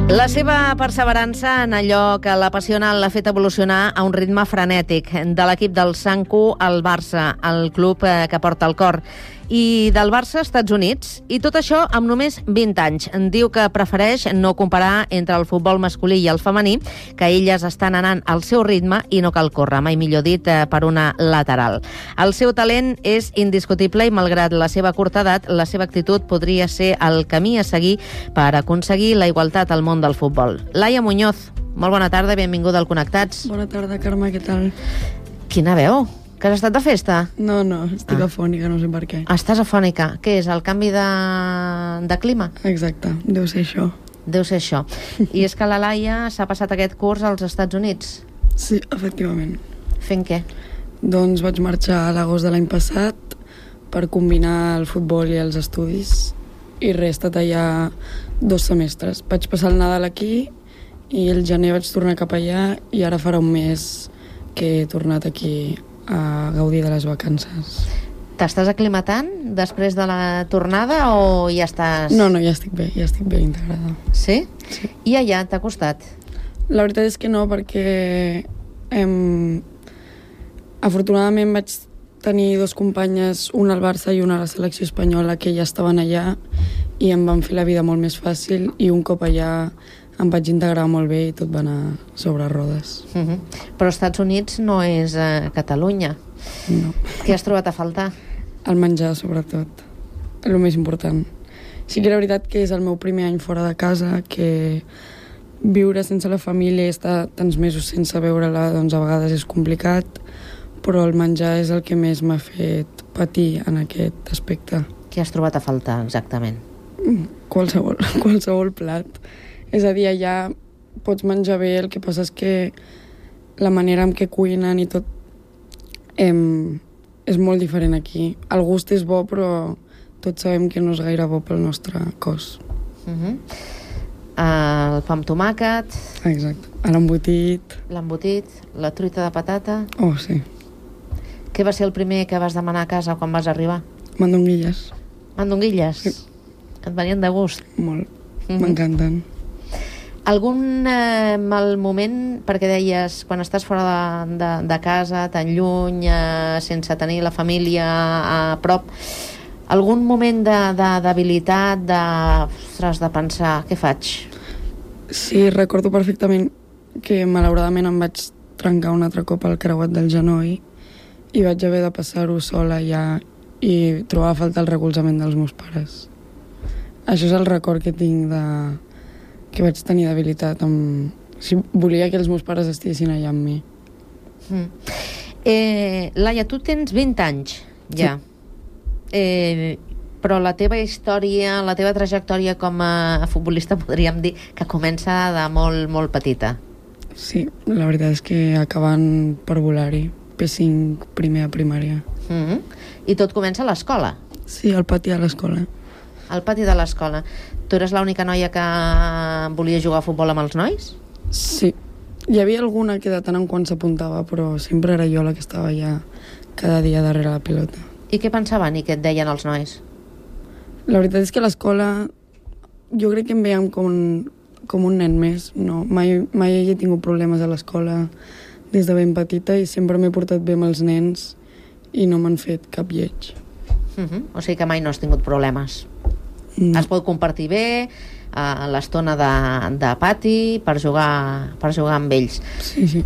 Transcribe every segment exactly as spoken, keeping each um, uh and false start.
La seva perseverança en allò que l'apassiona l'ha fet evolucionar a un ritme frenètic. De l'equip del Sanku al Barça, el club que porta el cor, i del Barça als Estats Units, i tot això amb només vint anys. Diu que prefereix no comparar entre el futbol masculí i el femení, que elles estan anant al seu ritme i no cal córrer, mai millor dit, per una lateral. El seu talent és indiscutible i, malgrat la seva curta edat, la seva actitud podria ser el camí a seguir per aconseguir la igualtat al món del futbol. Laia Muñoz, molt bona tarda, benvinguda al Connectats. Bona tarda, Carme, què tal? Quina veu? Que has estat de festa? No, no, estic ah. afònica, no sé per què. Estàs afònica. Què és, el canvi de, de clima? Exacte, deu ser això. Deu ser això. I és que la Laia s'ha passat aquest curs als Estats Units? Sí, efectivament. Fent què? Doncs vaig marxar a l'agost de l'any passat per combinar el futbol i els estudis, i res, he estat allà dos semestres. Vaig passar el Nadal aquí i el gener vaig tornar cap allà, i ara farà un mes que he tornat aquí a gaudir de les vacances. T'estàs aclimatant després de la tornada o ja estàs... No, no, ja estic bé, ja estic bé integrada. Sí? Sí. I allà t'ha costat? La veritat és que no, perquè em... afortunadament vaig tenir dos companyes, una al Barça i una a la selecció espanyola, que ja estaven allà i em van fer la vida molt més fàcil, i un cop allà em vaig integrar molt bé i tot va anar sobre rodes. Uh -huh. Però als Estats Units no és a Catalunya. No. Què has trobat a faltar? El menjar, sobretot. El més important. Sí que era veritat que és el meu primer any fora de casa, que viure sense la família i estar tants mesos sense veure-la, doncs a vegades és complicat, però el menjar és el que més m'ha fet patir en aquest aspecte. Què has trobat a faltar, exactament? Qualsevol, qualsevol plat. És a dir, allà pots menjar bé, el que passa és que la manera en què cuinen i tot em, és molt diferent aquí. El gust és bo, però tots sabem que no és gaire bo pel nostre cos. Uh-huh. El pa amb tomàquet... Exacte. L'embotit... L'embotit, la truita de patata... Oh, sí. Què va ser el primer que vas demanar a casa quan vas arribar? Mandonguilles. Mandonguilles? Sí. Et venien de gust? Molt. Uh-huh. M'encanten. Algun eh, mal moment, perquè deies, quan estàs fora de, de, de casa, tan lluny, eh, sense tenir la família a prop, algun moment de, de debilitat, de, ostres, de pensar, què faig? Sí, recordo perfectament que malauradament em vaig trencar un altre cop el creuat del genoll i vaig haver de passar-ho sola ja i trobar a faltar el recolzament dels meus pares. Això és el record que tinc de... que vaig tenir debilitat amb... Si volia que els meus pares estiguessin allà amb mi. Mm. Eh, Laia, tu tens vint anys, ja. Sí. Eh, però la teva història, la teva trajectòria com a futbolista, podríem dir que comença de molt, molt petita. Sí, la veritat és que acabant per volar-hi, P cinc, primer a primària. Mm-hmm. I tot comença a l'escola? Sí, al pati de l'escola. Al pati de l'escola. Tu eres l'única noia que volia jugar a futbol amb els nois? Sí. Hi havia alguna que de tant en quant s'apuntava, però sempre era jo la que estava allà cada dia darrere la pilota. I què pensaven i què et deien els nois? La veritat és que a l'escola jo crec que em veiem com un, com un nen més. No, mai, mai he tingut problemes a l'escola des de ben petita i sempre m'he portat bé amb els nens i no m'han fet cap lleig. Uh-huh. O sigui que mai no has tingut problemes. No. Es pot compartir bé a l'estona de, de pati per jugar, per jugar amb ells. Sí, sí.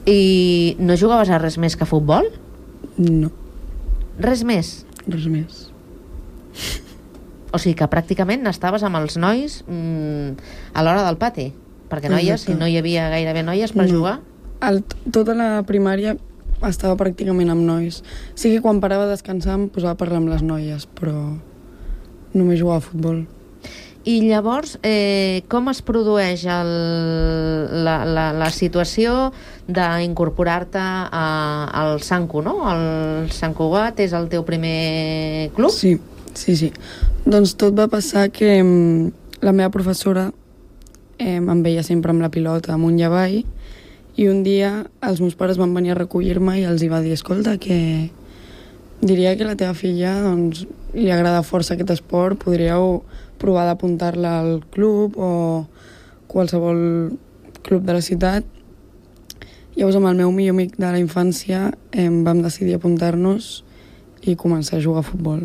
I no jugaves a res més que a futbol? No. Res més? Res més. O sigui que pràcticament estaves amb els nois mmm, a l'hora del pati, perquè noies, Exacte. Si no hi havia gairebé noies per no. jugar? El, tota la primària estava pràcticament amb nois. Sí que quan parava a descansar em posava a parlar amb les noies, però només jugava a futbol. I llavors, eh, com es produeix el, la, la, la situació d'incorporar-te al Sanku, no? El Sant Cugat és el teu primer club? Sí, sí, sí. Doncs tot va passar que em, la meva professora eh, em veia sempre amb la pilota amunt i avall, i un dia els meus pares van venir a recollir-me i els hi va dir, escolta, que diria que la teva filla doncs, li agrada força aquest esport, podríeu provar d'apuntar-la al club o qualsevol club de la ciutat. Llavors, amb el meu millor amic de la infància em vam decidir apuntar-nos i començar a jugar a futbol.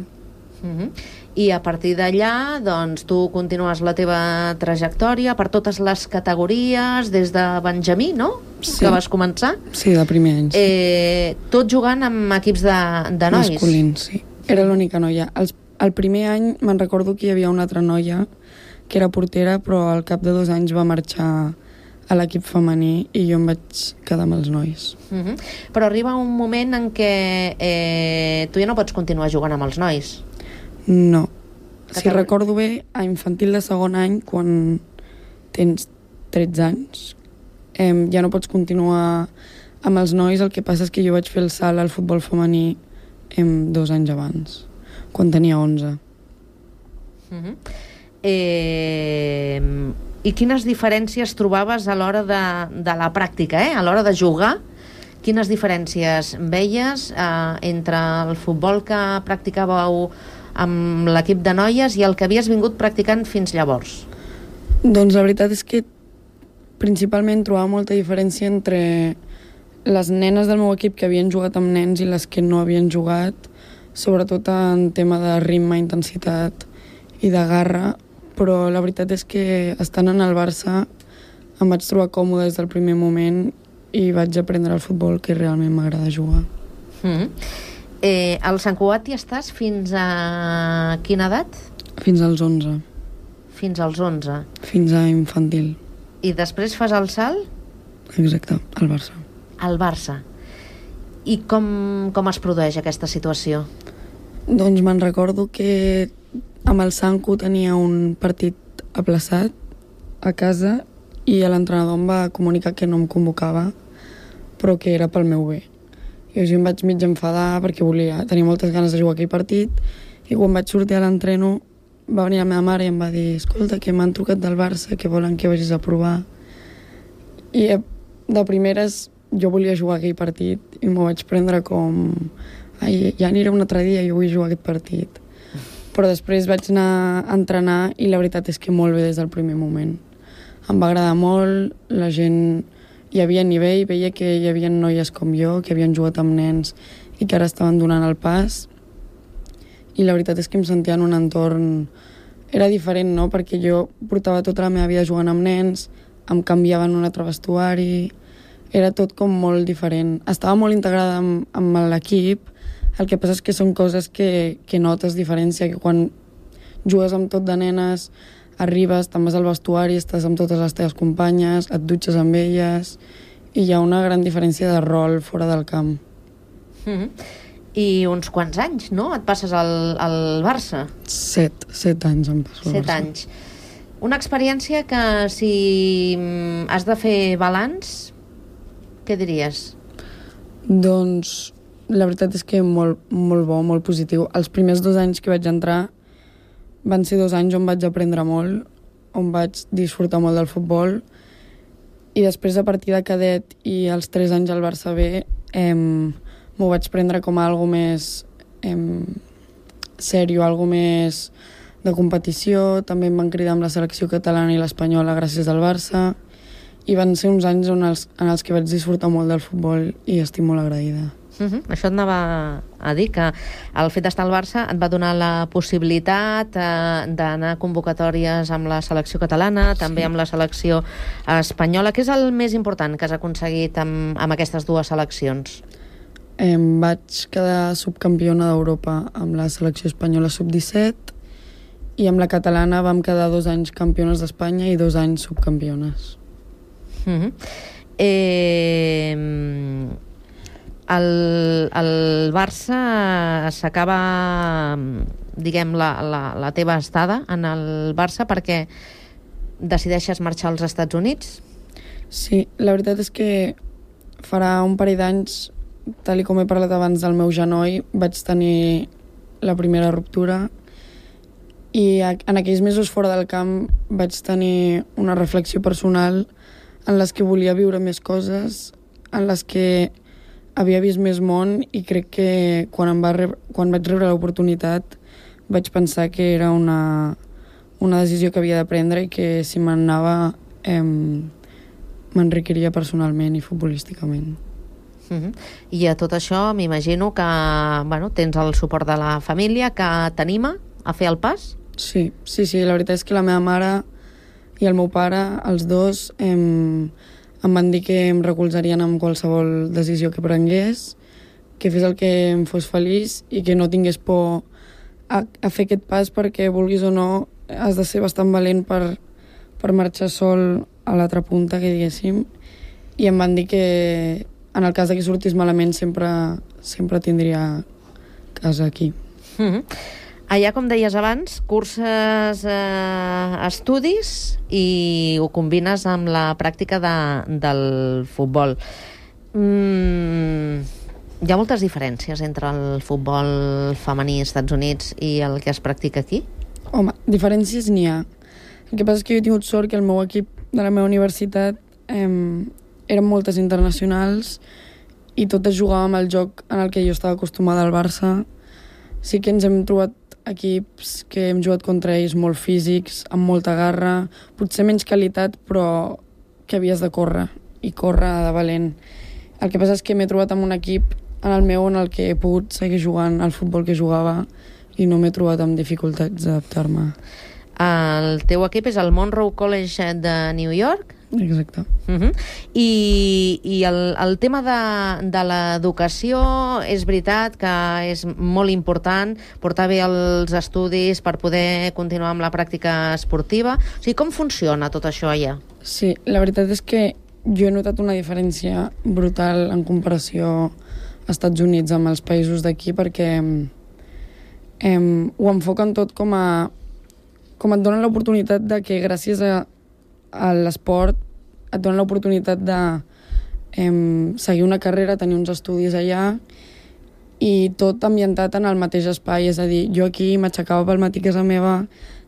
Uh-huh. I a partir d'allà, doncs, tu continues la teva trajectòria per totes les categories, des de Benjamí, no? Sí. Que vas començar? Sí, de primer any. Sí. Eh, tot jugant amb equips de, de nois? Masculins, sí. Era l'única noia. Els, el primer any me'n recordo que hi havia una altra noia que era portera, però al cap de dos anys va marxar a l'equip femení i jo em vaig quedar amb els nois. Uh-huh. Però arriba un moment en què eh, tu ja no pots continuar jugant amb els nois. No. Si si recordo bé, a infantil de segon any, quan tens tretze anys, eh, ja no pots continuar amb els nois. El que passa és que jo vaig fer el salt al futbol femení eh, dos anys abans, quan tenia onze. Uh-huh. Eh, I quines diferències trobaves a l'hora de, de la pràctica, eh? A l'hora de jugar? Quines diferències veies eh, entre el futbol que practicàveu amb l'equip de noies i el que havies vingut practicant fins llavors? Doncs la veritat és que principalment trobava molta diferència entre les nenes del meu equip que havien jugat amb nens i les que no havien jugat, sobretot en tema de ritme, intensitat i de garra, però la veritat és que estant en el Barça em vaig trobar còmode des del primer moment i vaig aprendre el futbol que realment m'agrada jugar. Mm. Eh, al Sant Cugat hi estàs fins a quina edat? Fins als onze. Fins als onze. Fins a infantil. I després fas el salt? Exacte, al Barça. Al Barça. I com, com es produeix aquesta situació? Doncs me'n recordo que amb el Sanco tenia un partit aplaçat a casa i l'entrenador em va comunicar que no em convocava, però que era pel meu bé. I jo em vaig mig enfadar perquè volia, tenia moltes ganes de jugar aquell partit, i quan vaig sortir a l'entreno va venir la meva mare i em va dir: escolta, que m'han trucat del Barça, que volen que vagis a provar. I de primeres jo volia jugar aquell partit i m'ho vaig prendre com: ai, ja aniré un altre dia, jo vull jugar aquest partit. Però després vaig anar a entrenar i la veritat és que molt bé des del primer moment. Em va agradar molt, la gent... Hi havia nivell, veia que hi havia noies com jo, que havien jugat amb nens i que ara estaven donant el pas. I la veritat és que em sentia en un entorn... Era diferent, no?, perquè jo portava tota la meva vida jugant amb nens, em canviava en un altre vestuari... Era tot com molt diferent. Estava molt integrada amb, amb l'equip. El que passa és que són coses que, que notes diferència, que quan jugues amb tot de nenes, arribes, te'n vas al vestuari, estàs amb totes les teves companyes, et dutxes amb elles, i hi ha una gran diferència de rol fora del camp. Mm-hmm. I uns quants anys, no?, et passes al, al Barça? Set, set anys em passo al Barça. Set anys. Una experiència que, si has de fer balanç, què diries? Doncs la veritat és que molt, molt bo, molt positiu. Els primers dos anys que vaig entrar van ser dos anys on vaig aprendre molt, on vaig disfrutar molt del futbol, i després a partir de cadet i els tres anys al Barça B eh, m'ho vaig prendre com a algo més eh, sèrio, algo més de competició. També em van cridar amb la selecció catalana i l'espanyola gràcies al Barça, i van ser uns anys on els, en els que vaig disfrutar molt del futbol i estic molt agraïda. Uh-huh. Això et anava a dir, que el fet d'estar al Barça et va donar la possibilitat eh, d'anar a convocatòries amb la selecció catalana, sí, també amb la selecció espanyola. Què és el més important que has aconseguit amb, amb aquestes dues seleccions? Em vaig quedar subcampiona d'Europa amb la selecció espanyola sub disset, i amb la catalana vam quedar dos anys campiones d'Espanya i dos anys subcampiones. Uh-huh. Eh... El, el Barça s'acaba, diguem, la, la, la teva estada en el Barça perquè decideixes marxar als Estats Units? Sí, la veritat és que farà un parell d'anys, tal com he parlat abans del meu genoll, vaig tenir la primera ruptura, i en aquells mesos fora del camp vaig tenir una reflexió personal en les que volia viure més coses, en les que havia vist més món, i crec que quan, em va rebre, quan vaig rebre l'oportunitat vaig pensar que era una, una decisió que havia de prendre, i que si me'n anava eh, m'enriquiria personalment i futbolísticament. Uh-huh. I a tot això m'imagino que bueno, tens el suport de la família que t'anima a fer el pas? Sí, sí, sí, la veritat és que la meva mare i el meu pare, els dos, em, em van dir que em recolzarien en qualsevol decisió que prengués, que fes el que em fos feliç i que no tingués por a, a fer aquest pas, perquè vulguis o no has de ser bastant valent per, per marxar sol a l'altra punta, que diguéssim, i em van dir que en el cas de que sortís malament sempre, sempre tindria casa aquí. Mm-hmm. Allà, com deies abans, curses eh, estudis i ho combines amb la pràctica de, del futbol. Mm, hi ha moltes diferències entre el futbol femení als Estats Units i el que es practica aquí? Home, diferències n'hi ha. El que passa és que jo he tingut sort que el meu equip de la meva universitat eh, eren moltes internacionals i totes jugàvem al joc en el que jo estava acostumada al Barça. Sí que ens hem trobat equips que hem jugat contra ells molt físics, amb molta garra, potser menys qualitat, però que havies de córrer, i córrer de valent. El que passa és que m'he trobat amb un equip en el meu en el que he pogut seguir jugant al futbol que jugava i no m'he trobat amb dificultats d'adaptar-me. El teu equip és el Monroe College de New York? Exacte. Uh-huh. I, i el, el tema de, de l'educació és veritat que és molt important portar bé els estudis per poder continuar amb la pràctica esportiva. O sigui, com funciona tot això allà? Sí, la veritat és que jo he notat una diferència brutal en comparació als Estats Units amb els països d'aquí, perquè eh, ho enfoquen tot com a com et donen l'oportunitat de que gràcies a a l'esport et donen l'oportunitat de eh, seguir una carrera, tenir uns estudis allà i tot ambientat en el mateix espai. És a dir, jo aquí m'aixecava pel matí a casa meva,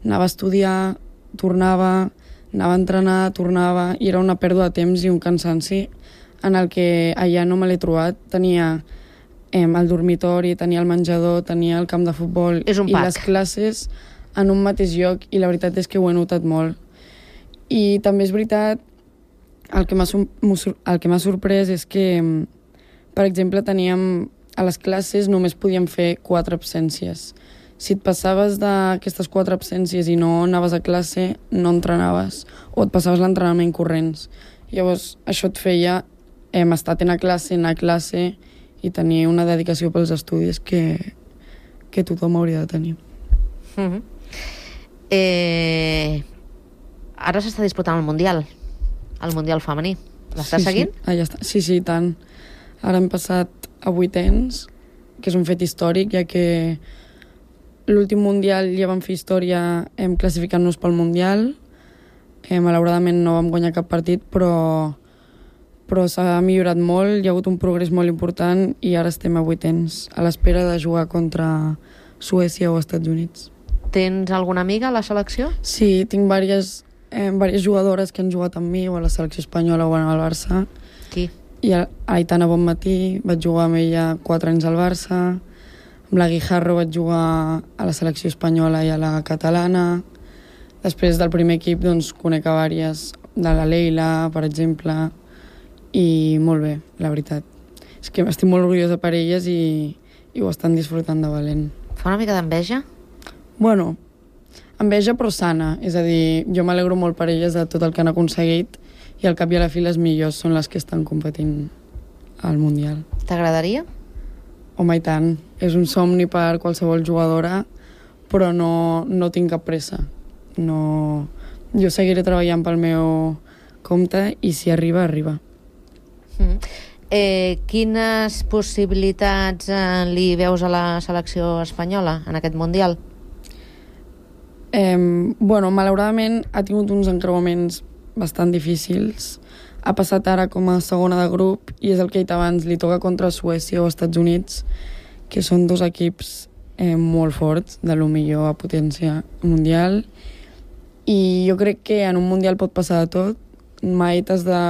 anava a estudiar, tornava, anava a entrenar, tornava, i era una pèrdua de temps i un cansanci en el que allà no me l'he trobat. Tenia eh, el dormitori, tenia el menjador, tenia el camp de futbol i les classes en un mateix lloc, i la veritat és que ho he notat molt. I també és veritat, el que m'ha el que m'ha sorprès és que, per exemple, teníem a les classes només podíem fer quatre absències. Si et passaves d'aquestes quatre absències i no anaves a classe, no entrenaves, o et passaves l'entrenament corrents. Llavors, això et feia eh, estar a classe, anar a classe i tenir una dedicació pels estudis que, que tothom hauria de tenir. Mm-hmm. Eh... Ara s'està disputant el Mundial, el Mundial femení. L'estàs sí, seguint? Sí. Ah, ja està. Sí, sí, tant. Ara hem passat a vuitens, que és un fet històric, ja que l'últim Mundial ja vam fer història hem classificant-nos pel Mundial. Eh, malauradament no vam guanyar cap partit, però, però s'ha millorat molt, hi ha hagut un progrés molt important i ara estem a vuitens, a l'espera de jugar contra Suècia o Estats Units. Tens alguna amiga a la selecció? Sí, tinc diverses Eh, diverses jugadores que han jugat amb mi o a la selecció espanyola o al Barça. Qui? I a Aitana Bonmatí, vaig jugar amb ella quatre anys al Barça. Amb la Guijarro vaig jugar a la selecció espanyola i a la catalana. Després del primer equip doncs, conec a diverses, de la Leila, per exemple, i molt bé, la veritat. És que estic molt orgullosa per elles i, i ho estan disfrutant de valent. Fa una mica d'enveja? Bueno, enveja però sana, és a dir, jo m'alegro molt per elles de tot el que han aconseguit i al cap i a la fi les millors són les que estan competint al Mundial. T'agradaria? Home, i tant. És un somni per qualsevol jugadora, però no, no tinc cap pressa. No... Jo seguiré treballant pel meu compte i si arriba, arriba. Mm. Eh, quines possibilitats eh, li veus a la selecció espanyola en aquest Mundial? Eh, bueno, malauradament ha tingut uns encreuaments bastant difícils. Ha passat ara com a segona de grup i és el que he dit abans, li toca contra Suècia o Estats Units, que són dos equips eh, molt forts, de lo millor a potència mundial. I jo crec que en un mundial pot passar de tot. Mai t'has de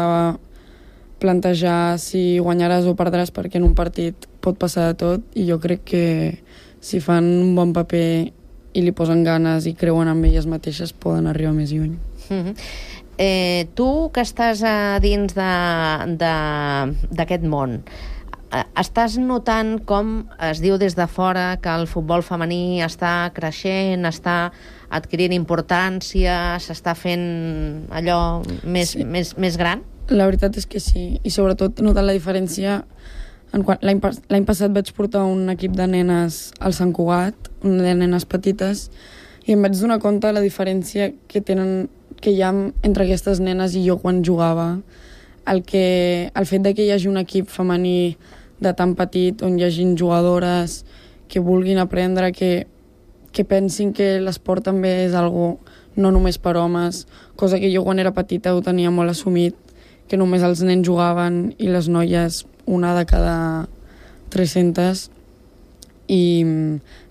plantejar si guanyaràs o perdràs, perquè en un partit pot passar de tot, i jo crec que si fan un bon paper i li posen ganes i creuen en elles mateixes, poden arribar més lluny. Mm-hmm. Eh, tu que estàs a dins d'aquest món, eh, estàs notant com es diu des de fora que el futbol femení està creixent, està adquirint importància, s'està fent allò més, sí. més, més gran? La veritat és que sí, i sobretot he notat la diferència. L'any passat vaig portar un equip de nenes al Sant Cugat, de nenes petites, i em vaig donar compte de la diferència que tenen que hi ha entre aquestes nenes i jo quan jugava. El, que, el fet de que hi hagi un equip femení de tan petit, on hi hagin jugadores que vulguin aprendre, que, que pensin que l'esport també és algo no només per homes, cosa que jo quan era petita ho tenia molt assumit, que només els nens jugaven i les noies una de cada tres-centes. I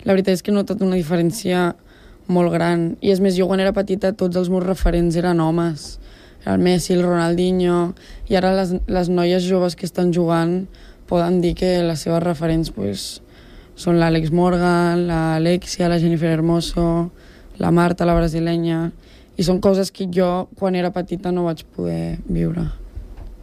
la veritat és que he notat una diferència molt gran. I és més, jo quan era petita tots els meus referents eren homes. El Messi, el Ronaldinho, i ara les, les noies joves que estan jugant poden dir que les seves referents pues, són l'Àlex Morgan, l'Alexia, la Jennifer Hermoso, la Marta, la brasilenya, i són coses que jo quan era petita no vaig poder viure.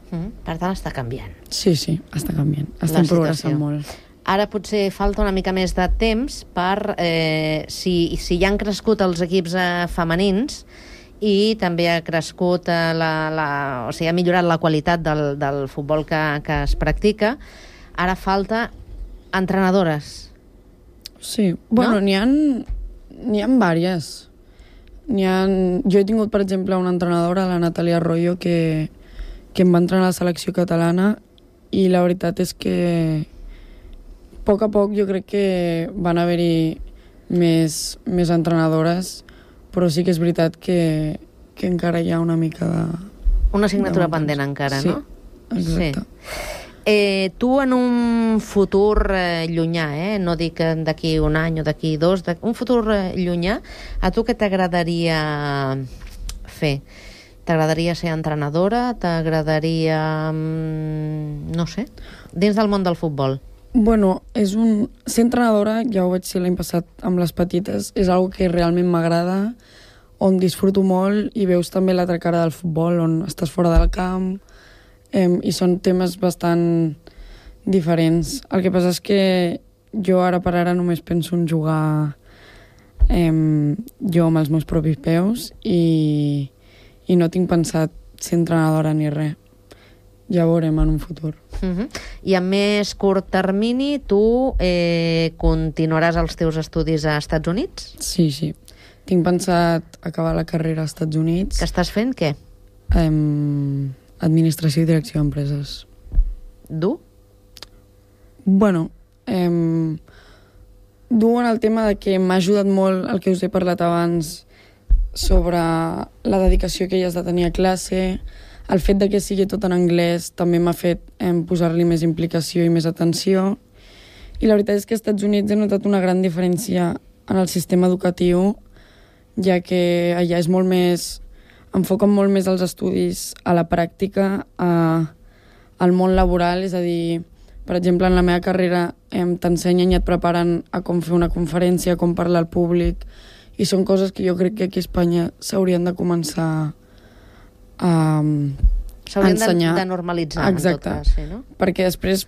Mm, per tant, està canviant. Sí, sí, està canviant. Estem progressant molt. Ara potser falta una mica més de temps per eh, si, si ja han crescut els equips eh, femenins i també ha crescut eh, la, la, o sigui, ha millorat la qualitat del, del futbol que, que es practica. Ara falta entrenadores. Sí, bueno, no? n'hi ha n'hi ha vàries. N'hi ha... Jo he tingut, per exemple, una entrenadora, la Natàlia Arroyo, que, que em va entrenar a la selecció catalana, i la veritat és que a poc a poc jo crec que van haver-hi més, més entrenadores, però sí que és veritat que, que encara hi ha una mica de... Una assignatura pendent encara, sí, no? Exacte. Sí. Eh, tu en un futur eh, llunyà, eh? No dic d'aquí un any o d'aquí dos, un futur eh, llunyà, a tu què t'agradaria fer? T'agradaria ser entrenadora? T'agradaria... no sé, dins del món del futbol? Bueno, és un... ser entrenadora, ja ho vaig ser l'any passat amb les petites, és una que realment m'agrada, on disfruto molt i veus també l'altra cara del futbol, on estàs fora del camp, eh, i són temes bastant diferents. El que passa és que jo ara per ara només penso en jugar eh, jo amb els meus propis peus i, i no tinc pensat ser entrenadora ni res. Ja veurem en un futur. Uh-huh. I a més curt termini, tu eh, continuaràs els teus estudis a Estats Units? Sí, sí. Tinc pensat acabar la carrera als Estats Units. Que estàs fent què? Um, administració i direcció d'empreses. Dur? Bueno, um, dur en el tema de que m'ha ajudat molt el que us he parlat abans sobre la dedicació que hi has de tenir a classe. El fet de que sigui tot en anglès també m'ha fet eh, posar-li més implicació i més atenció. I la veritat és que als Estats Units he notat una gran diferència en el sistema educatiu, ja que allà és molt més... enfoquen molt més els estudis a la pràctica, a, al món laboral, és a dir, per exemple, en la meva carrera eh, t'ensenyen i et preparen a com fer una conferència, com parlar al públic, i són coses que jo crec que aquí a Espanya s'haurien de començar a s'haurien ensenyar. de, de normalitzar. Exacte. En tot cas, sí, no? Perquè després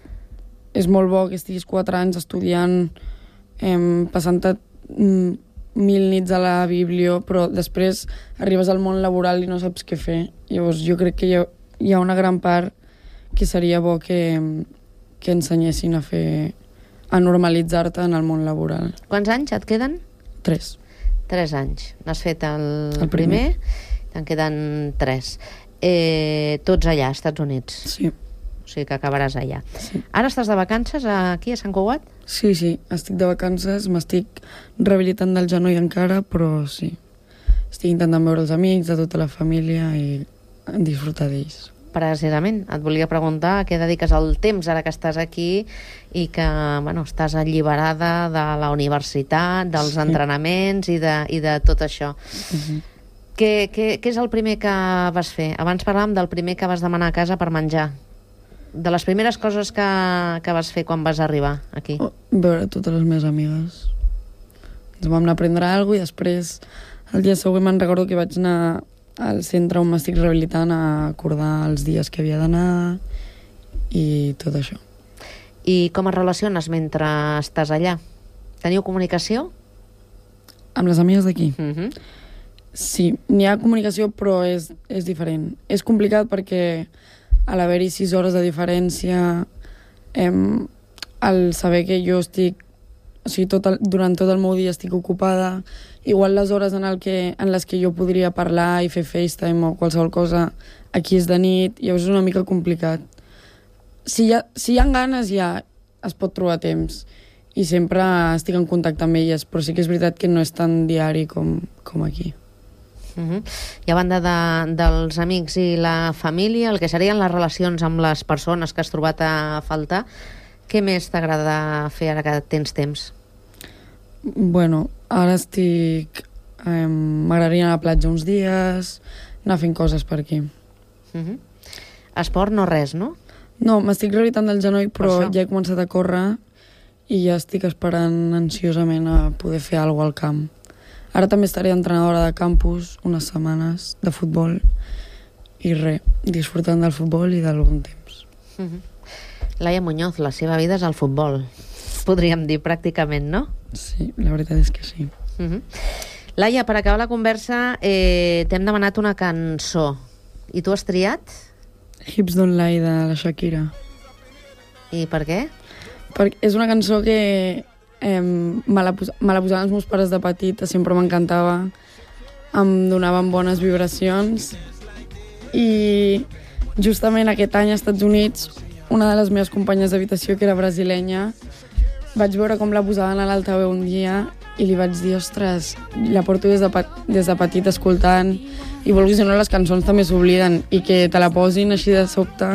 és molt bo que estiguis quatre anys estudiant, eh, passant-te mm, mil nits a la biblio, però després arribes al món laboral i no saps què fer. Llavors jo crec que hi ha, hi ha una gran part que seria bo que, que ensenyessin a fer, a normalitzar-te en el món laboral. Quants anys et queden? Tres. Tres anys. N'has fet el, el primer, primer te'n queden tres. Eh, tots allà, als Estats Units. Sí. O sigui que acabaràs allà. Sí. Ara estàs de vacances aquí a Sant Cugat? Sí, sí, estic de vacances, m'estic rehabilitant del genoll encara, però sí. Estic intentant veure els amics, de tota la família i disfrutar d'ells. Precisament, et volia preguntar a què dediques el temps ara que estàs aquí i que, bueno, estàs alliberada de la universitat, dels sí. entrenaments i de, i de tot això. Uh-huh. Què, què, què és el primer que vas fer? Abans parlàvem del primer que vas demanar a casa per menjar. De les primeres coses que, que vas fer quan vas arribar aquí. Oh, veure totes les meves amigues. Ens vam anar a prendre alguna cosa i després el dia següent me'n recordo que vaig anar al centre on m'estic rehabilitant a acordar els dies que havia d'anar i tot això. I com es relaciones mentre estàs allà? Teniu comunicació? Amb les amigues d'aquí? Uh-huh. Sí, n'hi ha comunicació, però és, és diferent. És complicat perquè a l'haver-hi sis hores de diferència, em, el saber que jo estic, o sigui, tot el, durant tot el meu dia estic ocupada, igual les hores en, el que, en les que jo podria parlar i fer FaceTime o qualsevol cosa, aquí és de nit, llavors és una mica complicat. Si hi ha, si hi ha ganes, ja es pot trobar temps i sempre estic en contacte amb elles, però sí que és veritat que no és tan diari com, com aquí. Uh-huh. I a banda de, dels amics i la família, el que serien les relacions amb les persones que has trobat a faltar, què més t'agrada fer ara que tens temps? Bueno, ara estic... Eh, m'agradaria anar a la platja uns dies, anar fent coses per aquí. Uh-huh. Esport no res, no? No, m'estic rehabilitant del genoll, però per ja he començat a córrer i ja estic esperant ansiosament a poder fer alguna cosa al camp. Ara també estaré entrenadora de campus unes setmanes de futbol i res, disfrutant del futbol i del bon temps. Uh-huh. Laia Muñoz, la seva vida és el futbol, podríem dir pràcticament, no? Sí, la veritat és que sí. Uh-huh. Laia, per acabar la conversa, eh, t'hem demanat una cançó. I tu has triat? Hips Don't Lie de la Shakira. I per què? Perquè és una cançó que eh, me, la pos me la posaven els meus pares de petita, sempre m'encantava, em donaven bones vibracions i justament aquest any als Estats Units una de les meves companyes d'habitació, que era brasilenya, vaig veure com la posaven a l'altaveu un dia i li vaig dir, ostres, la porto des de, des de petit escoltant i vulguis o no, les cançons també s'obliden i que te la posin així de sobte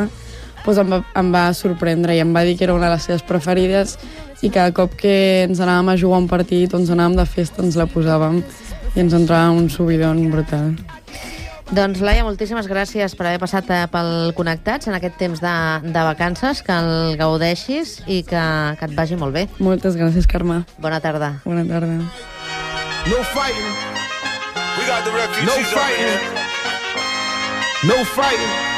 doncs em, va, em va sorprendre i em va dir que era una de les seves preferides i cada cop que ens anàvem a jugar un partit o ens anàvem de festa ens la posàvem i ens entrava un subidon brutal. Doncs Laia, moltíssimes gràcies per haver passat pel Connectats en aquest temps de, de vacances, que el gaudeixis i que, que et vagi molt bé. Moltes gràcies, Carme. Bona tarda. Bona tarda. No fighting. We got the refugees. No fighting. No fighting.